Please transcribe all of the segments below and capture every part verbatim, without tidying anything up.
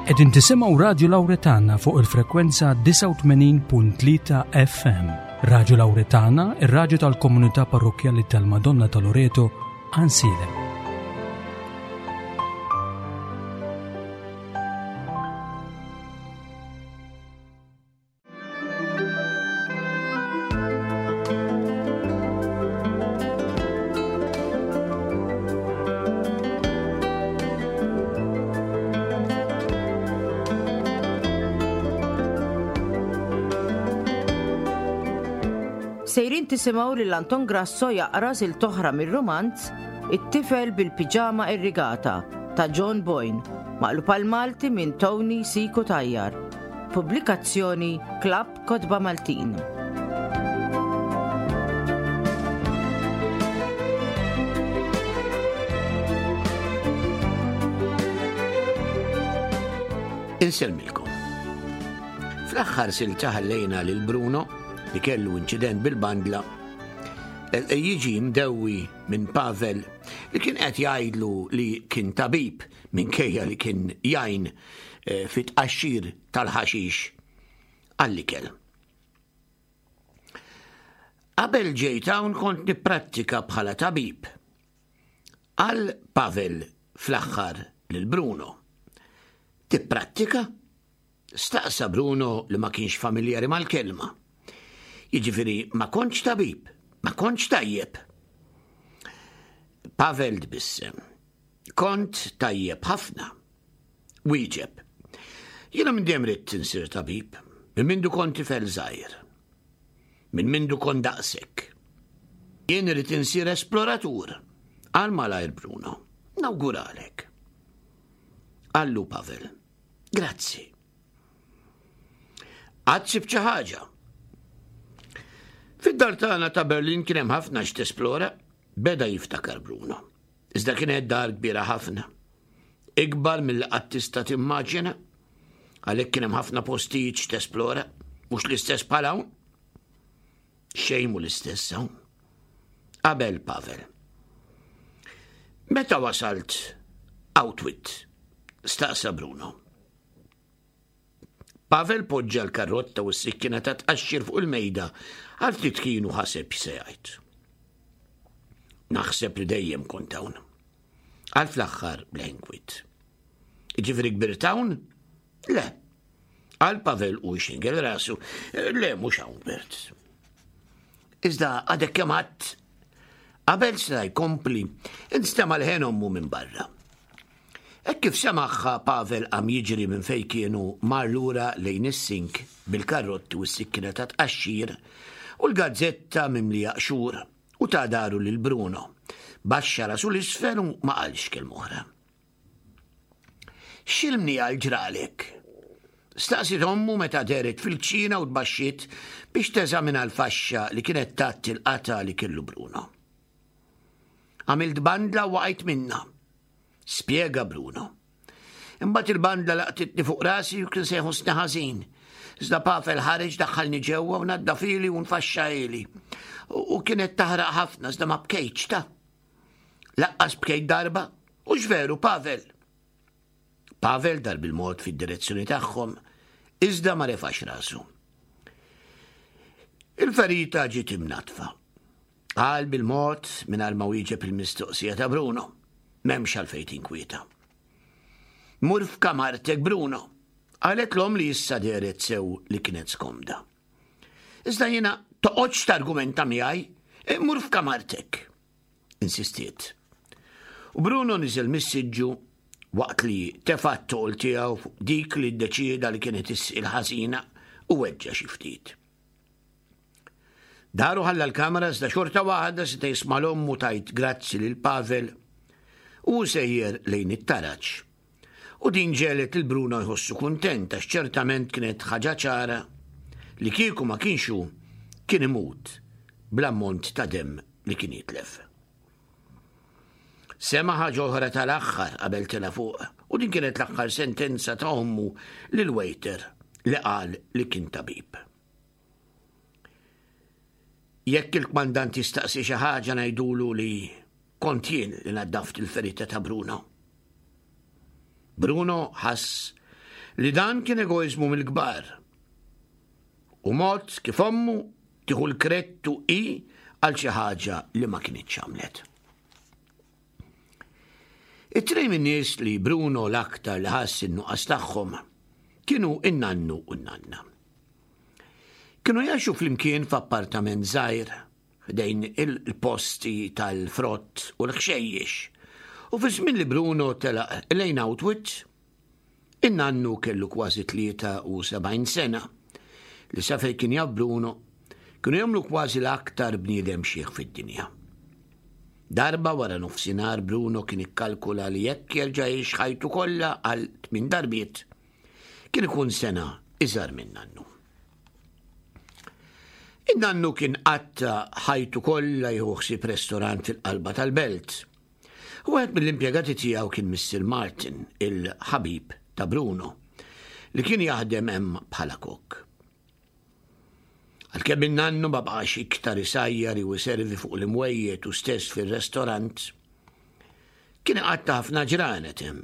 Qegħdin tisimgħu Radju Lawretana fuq il-frekwenza disgħa u tmenin punt tlieta F M. Radju Lawretana, ir-radju tal-Komunità Parrokkjali tal-Madonna ta' Loreto, Għajnsielem. Sejrin tisimgħu lil Anton Grasso jaqra silta oħra mir-rumanz It-tifel bil-piġama irrigata ta' John Boyne, maqlub għall-Malti minn Tony C. Cutajar. Pubblikazzjoni Klabb Kotba Maltin. Insellmilkom. Fl-aħħar silta ħallejna lil Bruno, li kellu inċident bil-bandla, e, e, jiġi mdewwi minn Pavel, li kien qed jgħidlu li kien tabib minkejja li kien jgħin e, fit tqaxxir tal-ħaxix għall-ikel. "Qabel ġejt hawn kont nipprattika bħala tabib," qal Pavel fl-aħħar lil Bruno. "Tipprattika?" staqsa Bruno, li ma kienx familjari mal-kelma. "Jiġifieri ma kontx tabib, ma kontx tajjeb?" Pavel tbissem. "Kont tajjeb ħafna," wieġeb. "Jiena minn dejjem ridt insir tabib, minn mindu kont tifel żgħir. Minn mindu kont daqsek." "Jien irrid insir esploratur," qal malajr Bruno. "Nawguralek," qallu Pavel. "Grazzi. Għad sibt xi ħaġa? Fid-dar tagħna ta' Berlin kien hemm ħafna x'tesplora," beda jiftakar Bruno. "Iżda kienet dar kbira ħafna. Ikbar milli qatt tista' timmaġina. Għalhekk kien hemm ħafna postijiet x'tesplora, mhux l-istess bħal hawn." "Xejn mhu l-istess hawn," qabel Pavel. "Meta wasalt Auschwitz?" staqsa Bruno. Pavel poġġa l-karotta u s-sikkina ta' tqaxxir fuq il-mejda għal ftit kienu ħaseb se jgħid. "Naħseb li dejjem kont hawn," qal fl-aħħar bl-inkwiet. "Ġifieri kbirt hawn?" "Le," qal Pavel u xingel rasu. "Le, mhux hawn kbirt." "Iżda għadek kemm għedt." Qabel seta' jkompli, instema' leħen ommu minn barra. Hekk kif semagħha, Pavel qam jiġri minn fej kienu mar lura lejn is-sink bil-karrotti u s-sikkina ta' tqaxxir u l-gazzetta mimlija qxur u ta dahru lil Bruno. Baxxa rasu 'l isfel u ma qalx kelma oħra. "X'il-mnija ġralek?" staqsiet ommu meta dehret fil-kċina u tbaxxiet biex teżamina l-faxxa li kienet tgħatti l-qatgħa li kellu Bruno. "Għamilt bandla u waqajt minnha," spiega Bruno. "Imbagħad il-bandla laqtitni fuq rasi u kien se jħossni ħażin. Iżda Pavel ħareġ, daħħalni ġewwa u naddafhieli u nfaxxahieli. U kienet taħraq ħafna, iżda ma bkejtx ta. Lanqas bkejt darba, hux veru, Pavel?" Pavel dar bil-mod fid-direzzjoni tagħhom, iżda ma refax rasu. "Il-ferita ġiet imnatfa," qal bil-mod mingħajr ma wieġeb il-mistoqsija ta' Bruno. "M'hemmx għalfejn tinkwieta. Mur f'kamartek, Bruno," qalet l-omm, li issa dehret sew li kienet skomda. "Iżda jiena." "Toqgħodx targumenta miegħi, mur f'kamartek," insistiet. U Bruno niżel mis-siġġu waqt li tefa' t-toqol tiegħu fuq dik li ddeċieda li kienet il-ħażina u weġġa' xi ftit. Dar u ħalla l-kamra, iżda xorta waħda seta' jisma' 'l ommu tgħid grazzi lil Pavel u sejjer lejn it-taraġ. U din ġegħlet lil Bruno jħossu kuntent, għax ċertament kienet ħaġa ċara li kieku ma kienx hu kien imut bl-ammont ta' dem li kien jitlef. Sema' ħaġa oħra tal-aħħar qabel tela' fuq, u din kienet l-aħħar sentenza ta' ommu lil waiter li qal li kien tabib. "Jekk il-kmandant jistaqsi xi ħaġa, ngħidulu li kont jien li naddaft il-ferita ta' Bruno." Bruno ħass li dan kien egoiżmu mill-kbar. U mod kif ommu tieħu l-krettu i għal xi ħaġa li ma kinitx għamlet. It-tnejn min-nies li Bruno l-aktar li ħass in-nuqqas tagħhom kienu in-nannu u n-nanna. Kienu jgħixu flimkien f'appartament żgħir ħdejn il-posti tal-frott u l-ħxejjex. U fi żmien li Bruno telaq lejn Outwit, in-nannu kellu kważi tlieta u sebgħin sena li sa fejn kien jaf Bruno kienu jagħmlu kważi l-aktar bniedem xiħ fid-dinja. Darba wara nofsinhar Bruno kien ikkalkula li jekk jerġa' jgħix ħajtu kollha għal tmien darbiet, kien ikun sena iżgħar minn nannu. In-nannu kien qatta ħajtu kollha jieħu ħsieb restorant fil-qalba tal-belt. U wieħed mill-impjegati tiegħu kien Mister Martin, il-ħabib ta' Bruno, li kien jaħdem hemm bħala kok. Għalkemm in-nannu ma baqax iktar isajjar u jservi fuq l-imwejjed u stess fir-restorant, kien iqatta' ħafna ġranet hemm.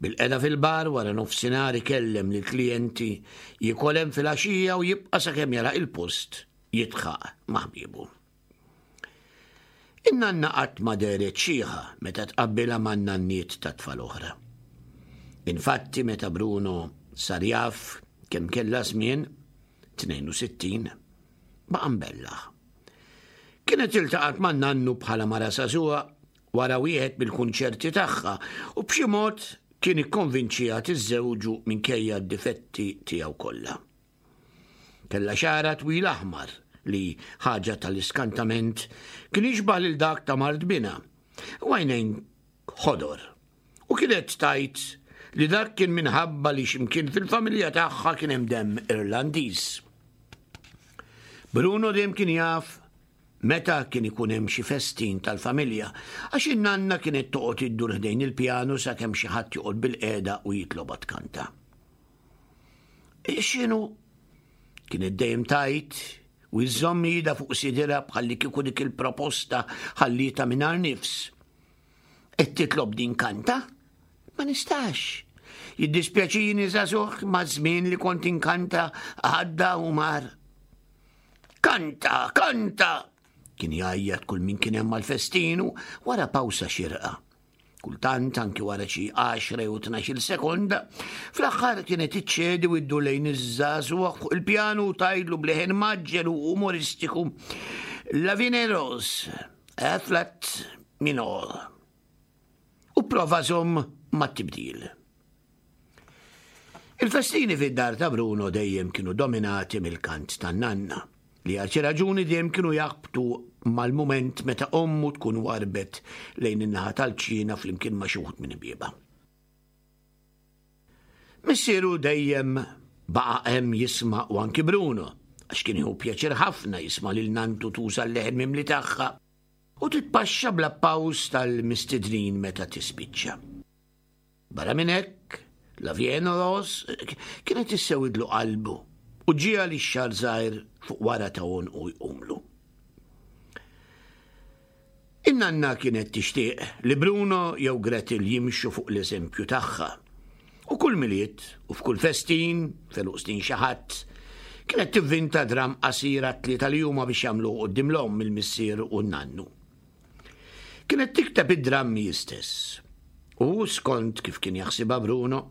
Bil-qeda fil-bar wara nofsinhar ikellem lill-klijenti, jiekol hemm filgħaxija u jibqa' sakemm jara il-post jidħaq ma' ħbiebu. In-nanna qatt ma dehret xiħa meta tqabbilha man-nanniet ta' tfal oħra. Infatti meta Bruno sar jaf kemm kellha żmien, tnejn u sittin, baqa' mbellaħ. Kienet iltaqgħet man-nannu bħala mara żagħżugħa wara wieħed mill-kunċerti tagħha u b'xi mod kien ikkonvinċiha tiżżewġu minkejja d-difetti tiegħu kollha. Kellha xagħarha twil aħmar li ħaġa tal-iskantament kien jixbah lil dak ta' mart binha u għajnejn ħodor. U kienet tajt li dak kien minħabba li x'imkien fil-familja tagħha kien hemm demm Irlandiż. Bruno dejjem kien jaf meta kien ikun hemm xi festin tal-familja, għax in-nanna kienet toqgħod iddur ħdejn il-pjanu sakemm xi ħadd joqgħod bil-qiegħda u jitlobha tkanta. X'inhu? Kienet dejjem tajt u jżomm ida fuq sidira bħalli kieku dik il-proposta ħallita mingħajr nifs. Qed titlob din kanta? Ma nistax. Jiddispjaċini żagħżugħ ma' żmien li kont inkanta għadda u mar. Kanta, kanta! Kien jgħajjat kull min kien hemm mal-festinu wara pawsa xirqa. Kultant anki wara xi għaxra jew tnax-il sekonda, fl-aħħar kienet iċċedi u iddur lejn iż-żagħżugħ fuq il-pjanu u tgħidlu b'leħen maġġel u umoristiku La Vie Rose, A flat minor. U prova żomm mat-tibdil. Il-festini fid-dar ta' Bruno dejjem kienu dominati mill-kant tan-nanna, li għal xi raġuni dejjem kienu jaħbtu mal-mument meta ommu tkun warbet lejn in-naħa tal-ċina flimkien ma' xi wħud minn bieba. Missieru dejjem baqa' hemm jisma' u anki Bruno, għax kien jieħu pjaċir ħafna jisma' lil nantu tuża l-leħen mimli tagħha u titpaxxa bl-appaws tal-mistednin meta tispiċċa. Barra minn hekk, La Vie en Rose kienet issewidlu qalbu u ġiha li x-xagħar żgħir fuq wara ta' għonqu jqumlu. In-nanna kienet tixtieq li Bruno jew Gretel jimxu fuq l-eżempju tagħha. U kull Milied u f'kull festin, f'għeluq snin xi ħadd, kienet tivvinta dram qasira tlieta li huma biex jagħmlu quddiem l-omm, il-missier u n-nannu. Kienet tikteb id-drammi stess. U skont kif kien jaħsibha Bruno,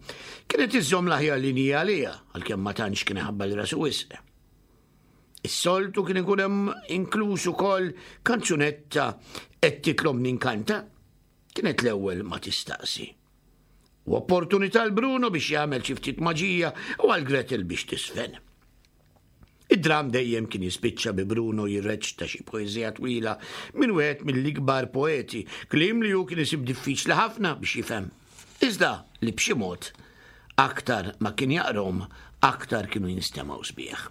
kienet iżżomm l-aħjar linji għaliha, għalkemm ma tantx kien iħabbal rasu wisq. Is-soltu kien ikun hemm inkluż ukoll kanzunetta qed titlobni nkanta, kienet l-ewwel ma tistaqsi. U opportunità l Bruno biex jagħmel xi ftit maġija u għal Gretel biex tisfen. Id-dram dejjem kien jispiċċa bi Bruno jirreċta xi poeżija twila minn wieħed mill-ikbar poeti, kliem li hu kien isib diffiċli ħafna biex jifhem. Iżda li b'xi mod aktar ma kien jaqrom, aktar kienu jinstemgħu sbieħ.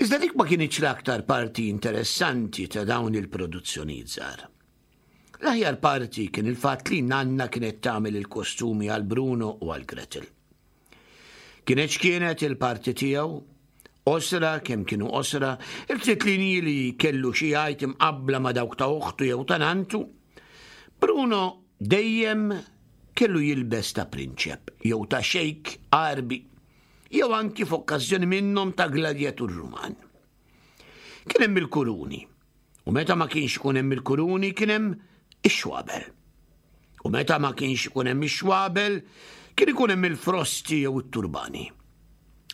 Iżda dik ma kienitx l-aktar parti interessanti ta' dawn il-produzzjonijiet żgħar. L-aħjar parti kien il-fatt li nanna kienet tagħmel il-kostumi għal Bruno u għal Gretel. Kienet x'kienet il-parti tiegħu, osra kemm kienu osra, il-ftit linji li kellu xi jgħid imqabbla ma' dawk ta' oħtu jew ta' nantu, Bruno dejjem kellu jilbes ta' prinċep jew ta' xejk Għarbi jew anki f'okkażjoni minnhom ta' gladjatur Ruman. Kien hemm il-kuruni, u meta ma kienx ikun hemm il-kuruni kien hemm ix-xwabel. U meta ma kienx ikun hemm ix-xwabel kien ikun hemm il-frosti jew it-turbani.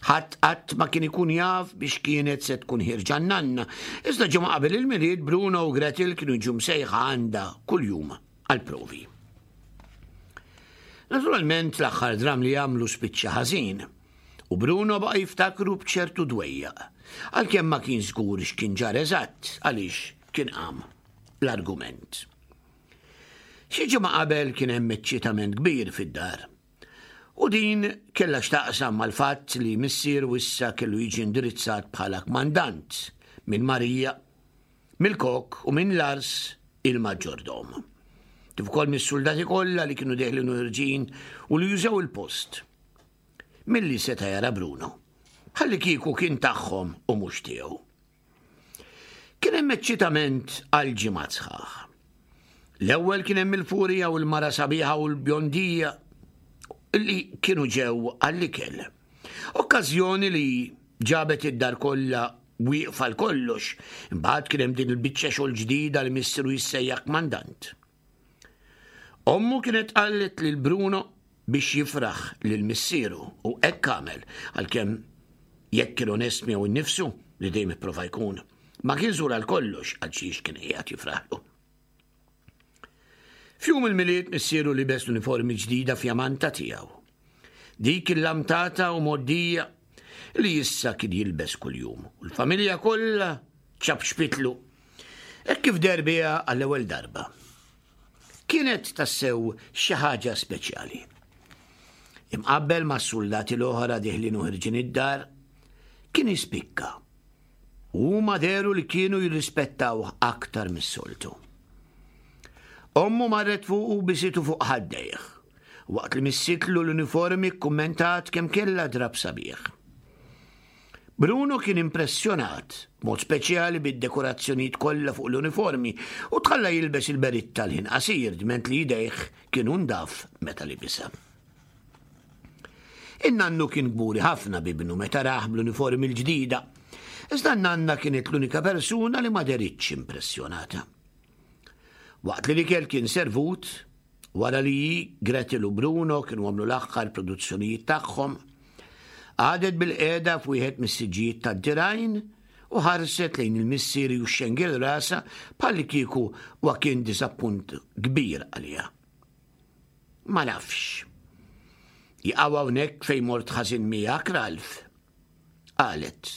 Ħadd qatt ma kien ikun jaf biex kienet se tkun ħierġa n-nanna, iżda ġimgħa qabel il-Milied Bruno u Gretel kienu jiġu msejħa għandha kuljum għall-provi. Naturalment l-aħħar dram li għamlu spiċċa ħażin, u Bruno baqa' jiftakru b'ċertu dwejjaq, għalkemm ma kien żgur x'kien ġara eżatt għaliex kien qam l-argument. Xi ġimgħa qabel kien hemm eċċitament kbir fid-dar. U din kellha x'taqsam mal-fatt li missieru issa kellu jiġi indirizzat bħala kmandant minn Marija, mill-kok u minn Lars il-maġġordom. Kif ukoll mis-suldati kollha li kienu deħlin u ħerġin u li jużaw il-post. Milli seta' jara Bruno, ħalli kieku kien tagħhom u mhux tiegħu. Kien hemm eċċitament għal ġimgħat sħaħ. L-ewwel kien hemm il-furija u l-mara sabiħa u l-bjondija li kienu ġew għall-ikel. Okkażjoni li ġabet id-dar kollha wieqfa għal kollox, imbagħad kien hemm din il-biċċa xogħol ġdida li missieru jissejjaħ kmandant. Ommu kienet qalet lil Bruno biex jifraħ lil missieru u hekk għamel, għalkemm jekk kien onest miegħu nnifsu li dejjem ipprova jkun, ma kien żgur għal kollox għal xiex kien qiegħed jifraħlu. F'jum il-Milied missieru libes l-uniformi ġdida fjamanta tiegħu. Dik il-lamtata u moddija li issa kien jilbes kuljum. U l-familja kollha ċapċpitlu. Hekk kif deher biha għall-ewwel darba. Kienet tassew xi ħaġa speċjali. Imqabbel mas-suldati l-oħra diħlin u ħirġin id-dar, kien jispikka. U huma dehru li kienu jirrispettawh aktar mis-soltu. Ommu marret fuq u bisitu fuq ħaddejh. Waqt li missitlu l-uniformi kkummentat kemm kellha drab sabiħ. Bruno kien impressjonat, mod speċjali bid-dekorazzjonijiet kollha fuq l-uniformi, u tħalla jilbes il-beritta l-ħin qasir dment li jdejh kienu ndaf meta libisha. In-nannu kien kburi ħafna b'ibnu meta rah bl-uniformi l-ġdida, iżda n-nanna kienet l-unika persuna li ma deritx impressjonata. Waqt li l-ikel kien servut, wara li Gretel u Bruno kienu għamlu l-aħħar produzzjonijiet tagħhom, għadet bil-qiegħda f'wieħed mis-siġġijiet tad-dirgħajn u ħarset lejn il-missieri u xxengel rasha bħalli kieku wa kien disappunt kbir għaliha. Ma nafx. Jaqaw hawnhekk fejn mort ħażin miegħek, Ralph. Qalet.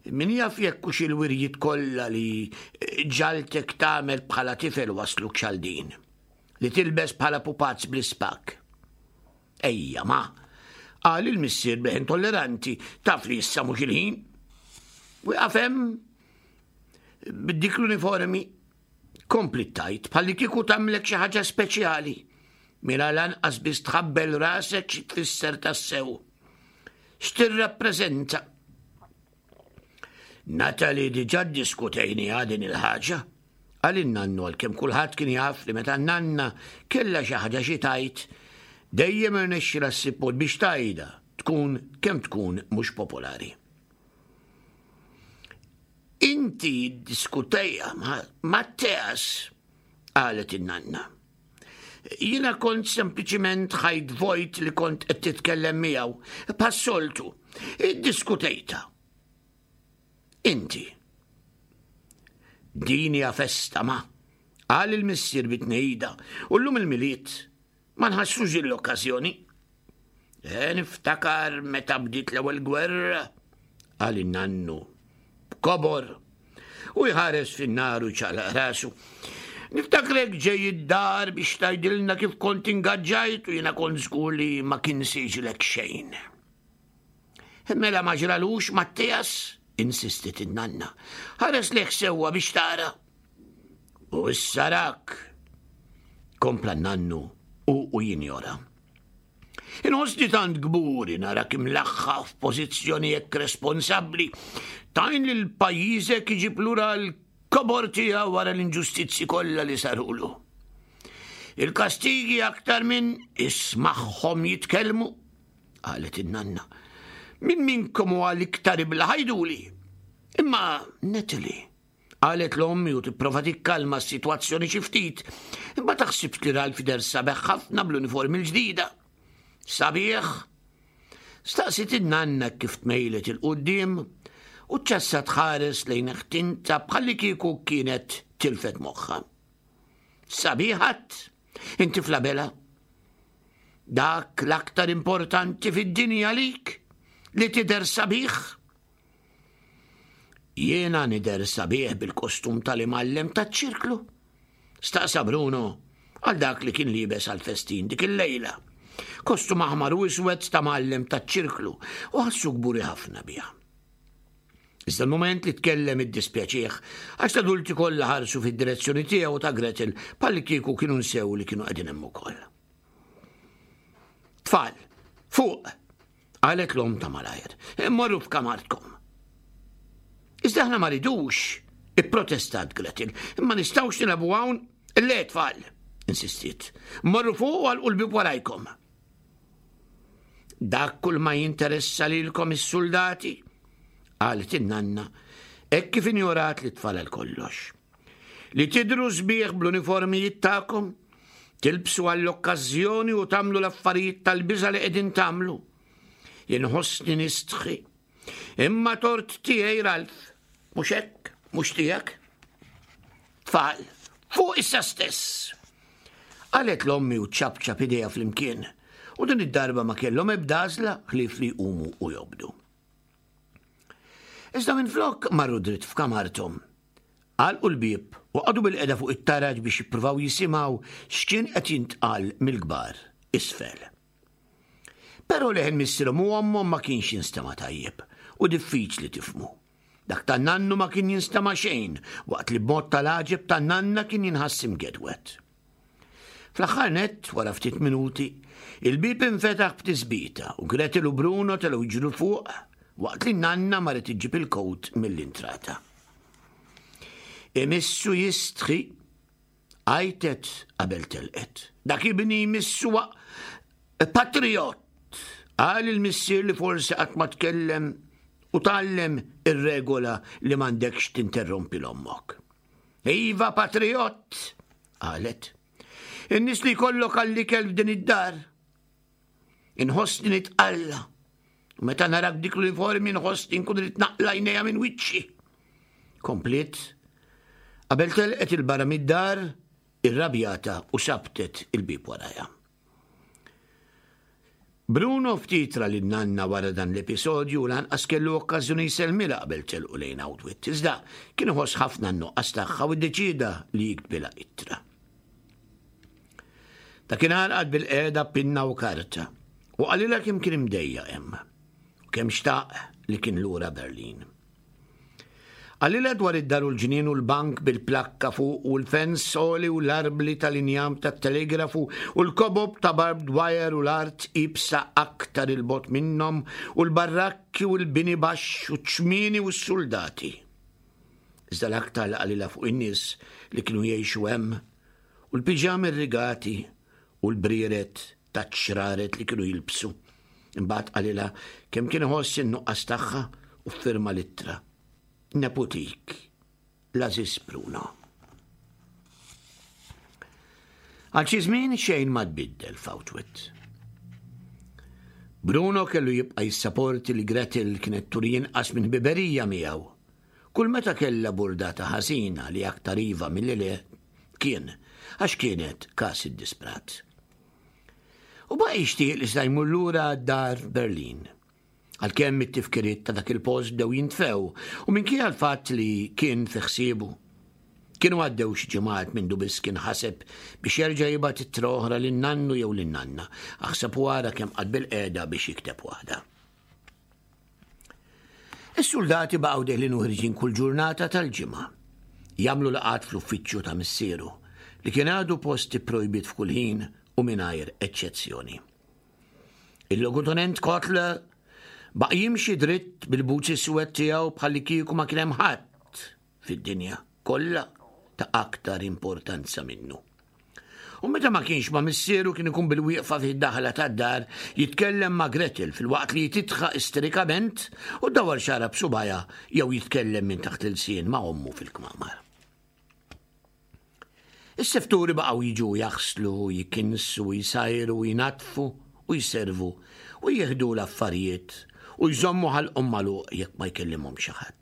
Min jaf jekk hux il-wirjiet kollha li ġaltek tagħmel bħala tifel wasluk għal din, li tilbes bħala pupazz bl-ispak. Ejja ma, qal il-missier b'leħen tolleranti, taf li issa mhux il-ħin. Wieqaf hemm b'dik l-uniformi, kompli tajt bħalli kieku tagħmlek xi ħaġa speċjali. Mela lanqas biss tħabbel rasek xi tfisser tassew. X'tirrappreżenta? Natalie diġà ddiskutejniha din il-ħaġa. Qal in-nannu għalkemm kulħadd kien jaf li meta n-nanna kellha xi ħaġa xi tgħid, dejjem irnexxilha ssib mod biex tgħidha, tkun kemm tkun mhux popolari. Inti ddiskutejha ma' Matteas, qalet in-nanna. Jiena kont sempliċiment ħajt vojt li kont qed titkellem miegħu, bħas-soltu, iddiskutejtha. Inti. Din hija festa ma, qal il-missier bit-tnejda, u llum il-Milied ma nħassrux din l-okkażjoni. E, niftakar meta bdiet l-ewwel gwerra, qal in-nannu b'kobor u jħares fin-nar u ċaqlaq rasu. Niftakrek ġej id-dar biex tgħidilna kif kont ingaġġajt u jiena kont żgur li ma kien siġlek xejn. Mela ma ġralux Mattias, insistit in-nanna. Ħares lejh sewwa biex tara. U issa rak, kompla n-nannu u u jinjora. Inħossni tant kburi narak imlaħħa f'pożizzjoni hekk responsabbli, tajn lil pajjiżek iġib lura l-kobor tiegħu wara l-inġustizzi kollha li sarulu. Il-kastigi aktar minn ismagħhom jitkellmu, qalet in-nanna. Min minnkom huwa l-iktar ibla ħajduli. Imma Natalie, qalet l-ommi u tipprova tikkalma s-sitwazzjoni xi ftit, imma taħsibx li Ralph jidher sabiħ ħafna bl-uniformi l-ġdida. Sabiħ? Staqsiet in-nanna kif tmejlet 'il quddiem u ċessa tħares lejn ħtinta bħalli kieku kienet tilfet moħħa. Sabiħat, inti flabela. Dak l-aktar importanti fid-dinja lik li tidher sabiħ. Jiena nidher sabiħ bil-kostum tal-imgħallem taċ-ċirklu. Staqsa Bruno għal dak li kien liebes għal-festin dik il-lejla. Kostum aħmar u iswed ta' mgħallem taċ-ċirklu u ħassu kburi ħafna biha. Iżda l-moment li tkellem iddispjaċih għax l-adulti kollha ħarsu fid-direzzjoni tiegħu ta' Gretel bħalli kieku kienu nsew li kienu qegħdin hemm ukoll. Tfal, fuq, qalet l-omm ta' malajr, morru f'kamartkom. Iżda aħna ma ridux, ipprotestat Gretel, imma nistgħux nilagħbu hawn, le tfal, insistiet. Morru fuq u għalqu l-bieb warajkom. Dak kull ma jinteressa lilkom is-soldati, qalet in-nanna, hekk kif injorat li tfal għal kollox. Li tidru sbieħ bl-uniformijiet tagħkom, tilbsu għall-okkażjoni u tagħmlu l-affarijiet tal-biża' li qegħdin tagħmlu. Inħossni nistħi. Imma tort tiegħi Ralph, mhux hekk, mhux tiegħek. Tfal, fuq issa stess. Qalet l-ommi u ċapċap idejha flimkien, u din id-darba ma kellhom ebda għażla ħlief li jqumu u jobdu. Iżda minflok marru dritt f'kamarthom. Għalqu l-bieb u qagħdu bilqiegħda fuq it-taraġ biex jippruvaw jisimgħu x'kien qed jintqal mill-kbar isfel. Però leħen missierhom u ommhom ma kienx jinstema' tajjeb u diffiċli tifhmu. Dak tan-nannu ma kien jinstema' xejn waqt li b'mod tal-għaġeb tan-nanna kien jinħass imgedwet. Fl-aħħar nett, wara ftit minuti, il-bieb infetaħ b'tisbita u Gretel u Bruno telgħu jiġru fuq waqt li nanna marret iġġib il-kowt mill-intrata. Imissu jistħi, għajtet qabel telqet. Dak ibni jmissu patriot, qal il-missier li forsi qatt ma tkellem u tgħallem ir-regola li m'għandekx tinterrompi l-ommok. Iva patriot, qalet. In-nies li jkollok għall-ikel f'din id-dar. Inħossni nitqalla. U meta narak dik l-uniformi nħossni nkun rrid naqla' għajnejja minn wiċċi. Kompliet, qabel telqet 'il barra mid-dar, irrabjata u sabtet il-bieb warajha. Bruno ftit ra lin-nanna wara dan l-episodju lanqas kellu okkażjoni jsellmilha qabel telqu lejn Outwit. Iżda kien iħoss ħafna n-nuqqas tagħha u ddeċida li jiktbilha ittra. Dakinhar qagħad bilqiegħda pinna u karta u qalilha kemm kien imdejjaq hemm u kemm xtaq li kien lura Berlin. Qalilha dwar id-dar u l-ġnien u l-bank bil-plakka fuq u l-fens soli u l-arbli tal-injam tat-telegrafu u l-kobob ta' barbed wire u l-art iebsa aktar 'il bogħod minnhom u l-barrakki u l-bini baxx u ċ-ċmieni u s-soldati. Iżda l-aktar li qalilha fuq in-nies li kienu jgħixu hemm u l-piġami rigati u l-brieret ta' ċraret li kienu jilbsu. Imbagħad qalilha kemm kien iħoss in-nuqqas tagħha u ffirma l-ittra. Neputik, l-għażiż Bruno. Għal xi żmien xejn ma tbiddel f'Outwit. Bruno kellu jibqa' jissaporti li Gretel kienet turi inqas minn ħbiberija miegħu. Kull meta kellha burdata ħażina li aktar iva milli le kien, għax kienet każ iddisprat. U baqa' jixtieq li seta' jmur lura d-dar Berlin. Għalkemm it-tifkiriet ta' dak il-post bdew jintfew u minkejja l-fatt li kien fi ħsiebu. Kienu għaddew xi ġimgħat mindu biss kien ħaseb biex jerġa' jibgħat ittra oħra lin-nannu jew lin-nanna. Aħseb u ara kemm qagħad bilqiegħda biex jikteb waħda. Is-soldati baqgħu deħlin u ħirġin kull ġurnata tal-ġimgħa. Jagħmlu laqgħat fl-uffiċċju ta' missieru li kien għadu post ipprojbit f'kull ħin u mingħajr eċċezzjoni. Il-logutenent Kotler baqa' jimxi dritt bil-buċi suwed tiegħu bħalli kieku ma kien hemm ħadd fid-dinja kollha ta' aktar importanza minnu. U meta ma kienx ma' missieru kien ikun bil-wieqfa fid-daħla tad-dar jitkellem ma' Gretel filwaqt li jitidħaq isterikament u dawar xagħarha b'subgħajha jew jitkellem minn taħt l-ilsien ma' ommu fil-kmamar. Is-sefturi baqgħu jiġu jaħslu, jikinsu, jsajru, jnaddfu u jservu u jieħdu l-affarijiet u jżommu ħalqhom magħluq jekk ma jkellimhom xi ħadd.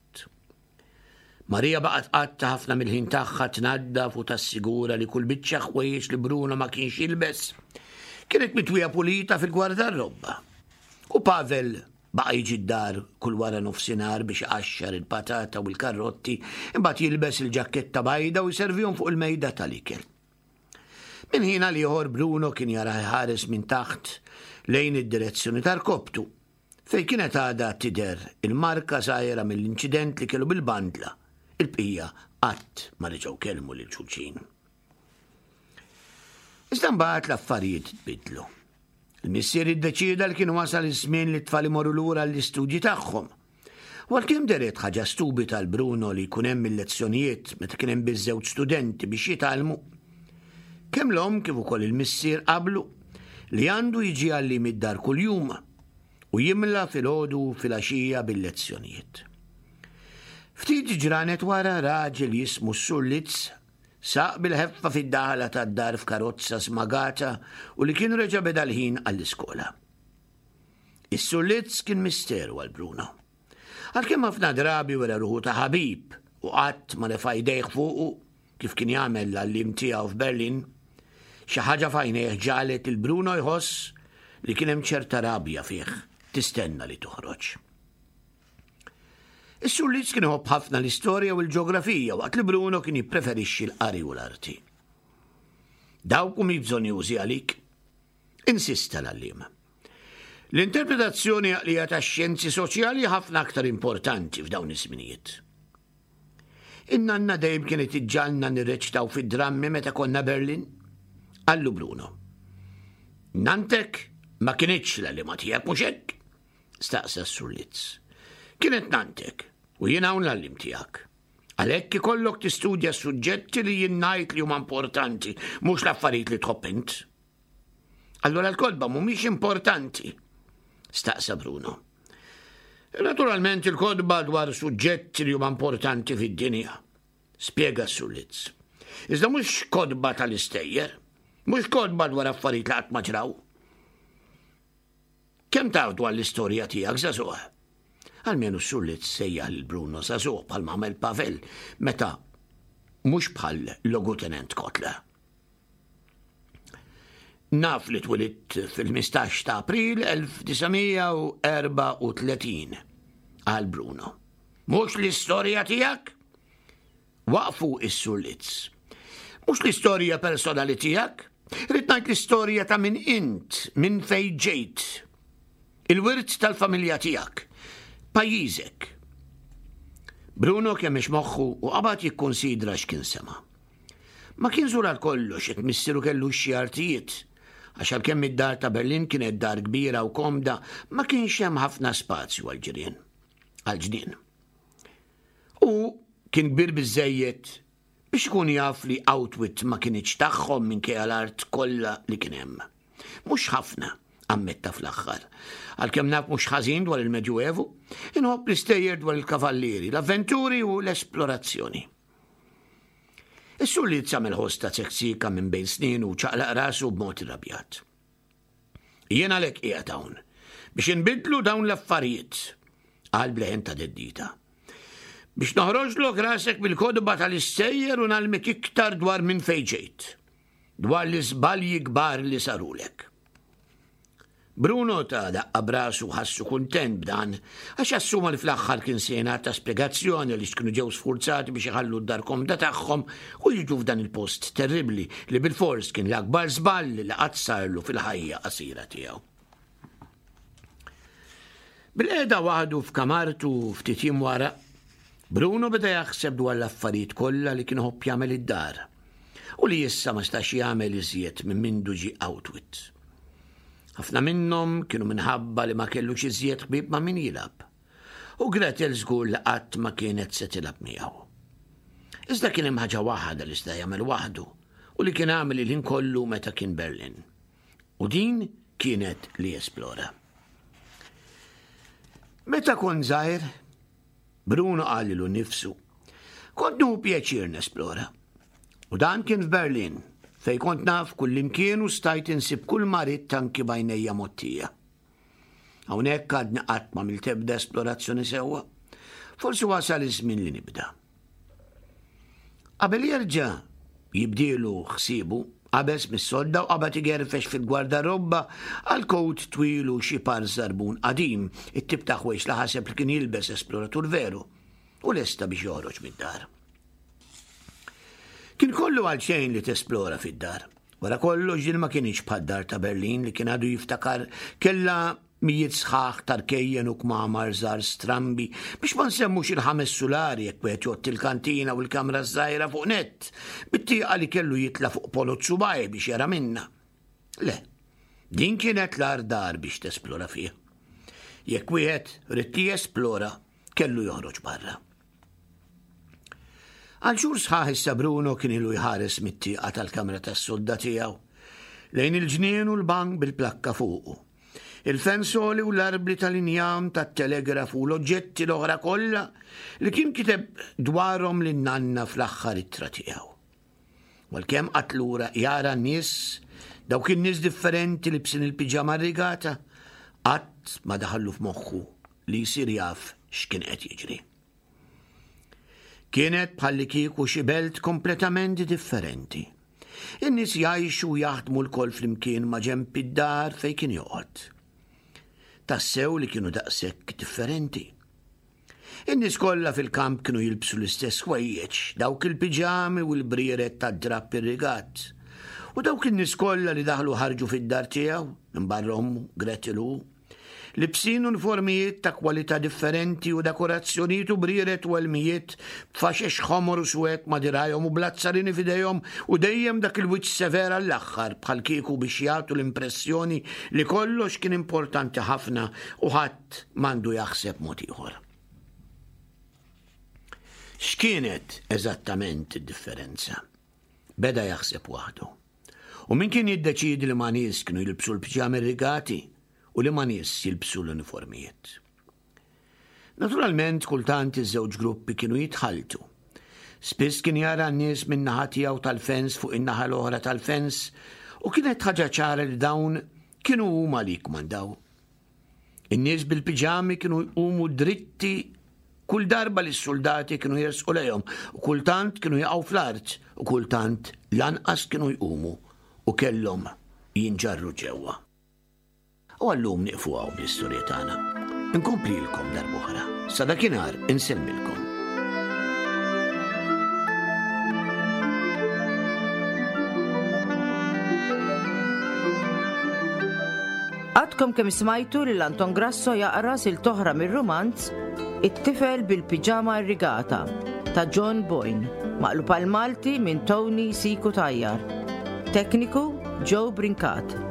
Marija baqgħet tqatta' ħafna mill-ħin tagħha tnaddaf u tassigura li kull biċċa ħwejjeġ li Bruno ma kienx jilbes kienet mitwija pulita fil-gwardarrobba. U Pavel baqa' jiġi d-dar kull wara nofsinhar biex iqaxxar il-patata u l-karrotti, imbagħad jilbes il-ġakketta bajda u jservihom fuq il-mejda tal-ikel. Minn ħin għal ieħor Bruno kien jara jħares minn taħt lejn id-direzzjoni tal-koptu, fejn kienet għadha tidher il-marka żgħira mill-inċident li kellu bil-bandla. Il-bqija qatt ma reġgħu kellmu lil xulxin. Iżda mbagħad l-affarijiet tbidlu. Il-missier iddeċieda li kien wasal iż-żmien li t-tfal imorru lura l-istudji tagħhom. U għalkemm dehret ħaġa stupida għal Bruno li jkun hemm il-lezzjonijiet meta kien hemm biss żewġ studenti biex jitgħallmu, kemm l-omm kif ukoll il-missier qablu li għandu jiġi għalliem id-dar kuljum u jimla filgħodu filgħaxija bil-lezzjonijiet. Ftit ġranet wara raġel jismu s-Sur Litz saq bil-ħeffa fid-daħla tad-dar f'karozza smagata u li kien reġa' beda l-ħin għall-iskola. Is-Sur Litz kien misteru għal Bruno. Għalkemm ħafna drabi wera ruħu ta' ħabib u qatt ma refa' jdejh fuqu kif kien jagħmel l-għalliem tiegħu f'Berlin, xi ħaġa f'għajnejh ġagħlet lil Bruno jħoss li kien hemm ċerta rabja fih tistenna li toħroġ. Is-Sur Litz kien iħobb ħafna l-istorja u l-ġeografija waqt li Bruno kien jippreferixxi l-qari u l-arti. Dawk mhumiex bżonnjużi għalik, insista l-għalliem. L-interpretazzjoni għaqlija tax-xjenzi soċjali ħafna aktar importanti f'dawn iż-żminijiet. In-nanna dejjem kienet iġġagħalna nirreċtaw fid-drammi meta konna Berlin, qallu Bruno. Nantek ma kinitx l-għalliema tiegħek mhux hekk? Staqsa s-Sur Litz. Kienet nantek u jien hawn l-għalliem tiegħek. Għalhekk ikollok tistudja suġġetti li jien ngħid li huma importanti, mhux l-affarijiet li tħobb int. Allura l-kotba mhumiex importanti, staqsa Bruno. Naturalment il-kotba dwar suġġetti li huma importanti fid-dinja, spjega s-Sur Litz. Iżda mhux kotba tal-istejjer, mhux kotba dwar affarijiet li qatt ma ġraw. Kemm taf dwar l-istorja tiegħek, żagħżugħ? Almenu s-Sur Litz sejjaħ lil Bruno żagħżugħ bħal għamel Pavel meta mhux bħal logutenent Kotler. Naf li twelidt fil-ħmistax ta' April elf disa' mija u erbgħa u tletin, qal Bruno. Mhux l-istorja tiegħek? Waqfu s-Sur Litz. Mhux l-istorja personali tiegħek? Rrid ngħid l-istorja ta' min int, minn fejn ġejt. Il-wirt tal-familja tiegħek, pajjiżek. Bruno kemmex moħħu u qabad jikkonsidra x'kien sema'. Ma kien żur għal kollox jekk missieru kellu xi artijiet, għax għalkemm id-dar ta' Berlin kienet dar kbira u komda, ma kienx hemm ħafna spazju għall-ġirien, għall-ġnien. U kien kbir biżżejjed biex ikun jaf li Outwit ma kienx tagħhom minkejja l-art kollha li kien hemm. Mhux ħafna, ammetta fl-aħħar. Għalkemm naf mhux ħażin dwar il-Medjuevu, inħobb l-istejjer dwar il-kavallieri, l-avventuri u l-esplorazzjoni. Is-Sur Litz għamel ħoss ta' tseksika minn bejn snin u ċaqlaq rasu b'mod irrabjat. Jien għalhekk qiegħed hawn biex inbidlu dawn l-affarijiet, qal bleħen ta' deddita. Biex noħroġlok rasek bil-kodba tal-istejjer u nagħlmek iktar dwar minn fejn ġejt, dwar l-iżbalji kbar li sarulek. Bruno ta' daqqa brasu ħassu kuntent b'dan, għax assuma li fl-aħħar kien se jingħata spjegazzjoni li kienu ġew sfurzati biex iħallu d-dar komda tagħhom u jiġu f'dan il-post terribbli li bil-fors kien l-akbar żball li qatt sarlu fil-ħajja qasira tiegħu. Bil-qiegħda waħdu f'kamartu ftit jiem wara, Bruno beda jaħseb dwar l-affarijiet kollha li kien iħobb jagħmel id-dar u li issa ma stax jagħmel iżjed minn mindu ġie Outwit. Ħafna minnhom kienu minħabba li ma kellux iżjed ħbieb ma' min jilgħab. U Gretel żgur li qatt ma kienet se tilgħab miegħu. Iżda kien hemm ħaġa waħda li sta jagħmel waħdu u li kien għamel il-ħin kollu meta kien Berlin. U din kienet li jesplora. Meta kont żgħir, Bruno qal lilu nnifsu, kont nieħu pjaċir nesplora. U dan kien f'Berlin, fejn kont naf kullimkien u stajt insib kull ma ridt anki b'għajnejja mgħottija. Hawnhekk għadni qatt ma għamilt ebda esplorazzjoni sewwa. Forsi wasal iż-żmien li nibda. Qabel jerġa' jibdielu ħsiebu, qabeż mis-sodda u qabad igerfex fil-gwardarobba għal kowt twil u xi par żarbun qadim, it-tip ta' ħwejjeġ li ħaseb li kien jilbes esploratur veru, u lesta biex joħroġ mid-dar. Kien kollu għal xejn li tesplora fid-dar. Wara kollox din ma kienx bħad-dar ta' Berlin li kien għadu jiftakar kellha mijiet sħaħ ta' rkejjen u kmamar żgħar strambi biex ma nsemmux il-ħames sulari jekk wieħed jgħodd il-kantina u l-kamra żgħira fuq nett, bit-tieqa li kellu jitla' fuq polot subgħajh biex jara minnha. Le, din kienet l-agħar dar biex tesplora fiha. Jekk wieħed ried jesplora, kellu joħroġ barra. Għal xhur sħaħ issa Bruno kien ilu jħares mit-tieqa tal-kamra tas-sodda tiegħu lejn il-ġnien u l-bank bil-plakka fuqu. Il-fensoli u l-arbli tal-injam tat-telegrafu u l-oġġetti l-oħra kollha li kien kiteb dwarhom lin-nanna fl-aħħar ittra tiegħu. Għalkemm qagħad lura jara n-nies, dawk in-nies differenti libsin il-piġama rigata, qatt ma daħallu f'moħħu li jsir jaf x'kien qed jiġri. Kienet bħalli kieku xi belt kompletament differenti. In-nies jgħixu u jaħdmu lkoll flimkien ma' ġenb id-dar fejn kien joqgħod. Tassew li kienu daqshekk differenti. In-nies kollha fil-kamp kienu jilbsu l-istess ħwejjeġ, dawk il-piġami u l-brieret tad-drapp irrigat. U dawk in-nies kollha li daħlu ħarġu fid-dar tiegħu, minn barra ommu, Gretel u libsin uniformijiet ta' kwalità differenti u dekorazzjonijiet u brieret u elmijiet b'faxex ħomor u swed ma' dirgħajhom u bl-azzarini f'idejhom u dejjem dak il-wiċċ sever għall-aħħar bħal kieku biex jagħtu l-impressjoni li kollox kien importanti ħafna u ħadd m'għandu jaħseb mod ieħor. X'kienet eżattament id-differenza? Beda jaħseb waħdu. U min kien jiddeċiedi li ma' nies kienu jilbsu l-piġami rigati u li ma' nies jilbsu l-uniformijiet. Naturalment, kultant iż-żewġ gruppi kienu jitħaltu. Spiss kien jara n-nies minn naħa tiegħu tal-fens fuq in-naħa l-oħra tal-fens u kienet ħaġa ċara li dawn kienu huma li jkmandaw. In-nies bil-piġami kienu jqumu dritti kull darba li s-soldati kienu jersqu lejhom u kultant kienu jaqgħu fl-art u kultant lanqas kienu jqumu u kellhom jinġarru ġewwa. U għallum nieqfu hawn bl-istorja tagħna. Inkomplilkom darb'oħra. Sa dakinhar insellmilkom. Għadkom kemm smajtu lil Anton Grasso jaqra silta oħra mir-rumanz It-tifel bil-piġama irrigata ta' John Boyne, maqlub għal Malti minn Tony C. Cutajar. Tekniku Joe Brincat.